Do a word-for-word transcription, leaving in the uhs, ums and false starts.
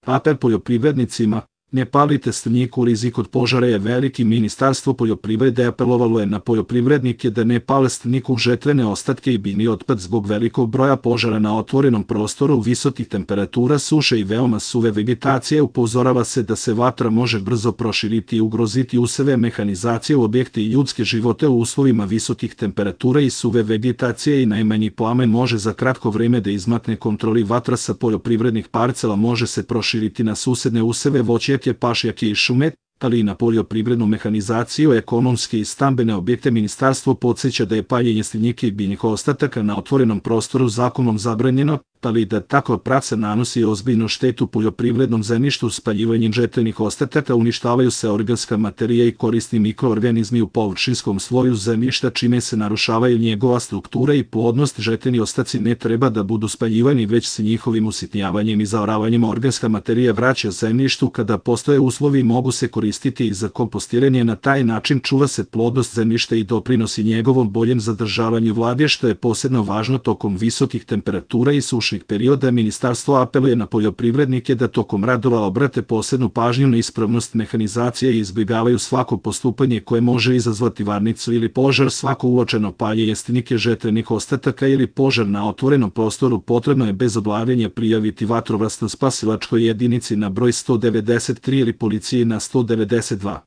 Apel poljoprivrednicima: ne palite strnjiku, rizik od požara je veliki. Ministarstvo poljoprivrede apelovalo je na poljoprivrednike da ne pale strnjiku, žetvene ostatke i biljni otpad zbog velikog broja požara na otvorenom prostoru, visokih temperatura, suše i veoma suve vegetacije. Upozorava se da se vatra može brzo proširiti i ugroziti useve, mehanizacije u objekte i ljudske živote u uslovima visokih temperatura i suve vegetacije i najmanji plamen može za kratko vreme da izmakne kontroli. Vatra sa poljoprivrednih parcela može se proširiti na susedne useve, voćnjake, pašnjake i šume, ali i na poljoprivrednu mehanizaciju, ekonomske i stambene objekte. Ministarstvo podsjeća da je paljenje strnjike i biljnih ostataka na otvorenom prostoru zakonom zabranjeno, ali da takva praksa nanosi ozbiljnu štetu poljoprivrednom zemljištu. Spaljivanjem žetvenih ostataka uništavaju se organska materija i korisni mikroorganizmi u površinskom sloju zemljišta, čime se narušavaju njegova struktura i plodnost. Žetveni ostaci ne treba da budu spaljivani, već se njihovim usitnjavanjem i zaoravanjem organska materija vraća zemljištu. Kada postoje uslovi, mogu se koristiti i za kompostiranje. Na taj način čuva se plodnost zemljišta i doprinosi njegovom boljem zadržavanju vlage, što je posebno važno tokom visokih temperatura i sušnih perioda. Ministarstvo apeluje na poljoprivrednike da tokom radova obrate posebnu pažnju na ispravnost mehanizacije i izbjegavaju svako postupanje koje može izazvati varnicu ili požar. Svako uočeno paljenje strnjike, žetvenih ostataka ili požar na otvorenom prostoru potrebno je bez odlaganja prijaviti vatrogasnoj spasilačkoj jedinici na broj sto devedeset tri ili policiji na sto devedeset dva.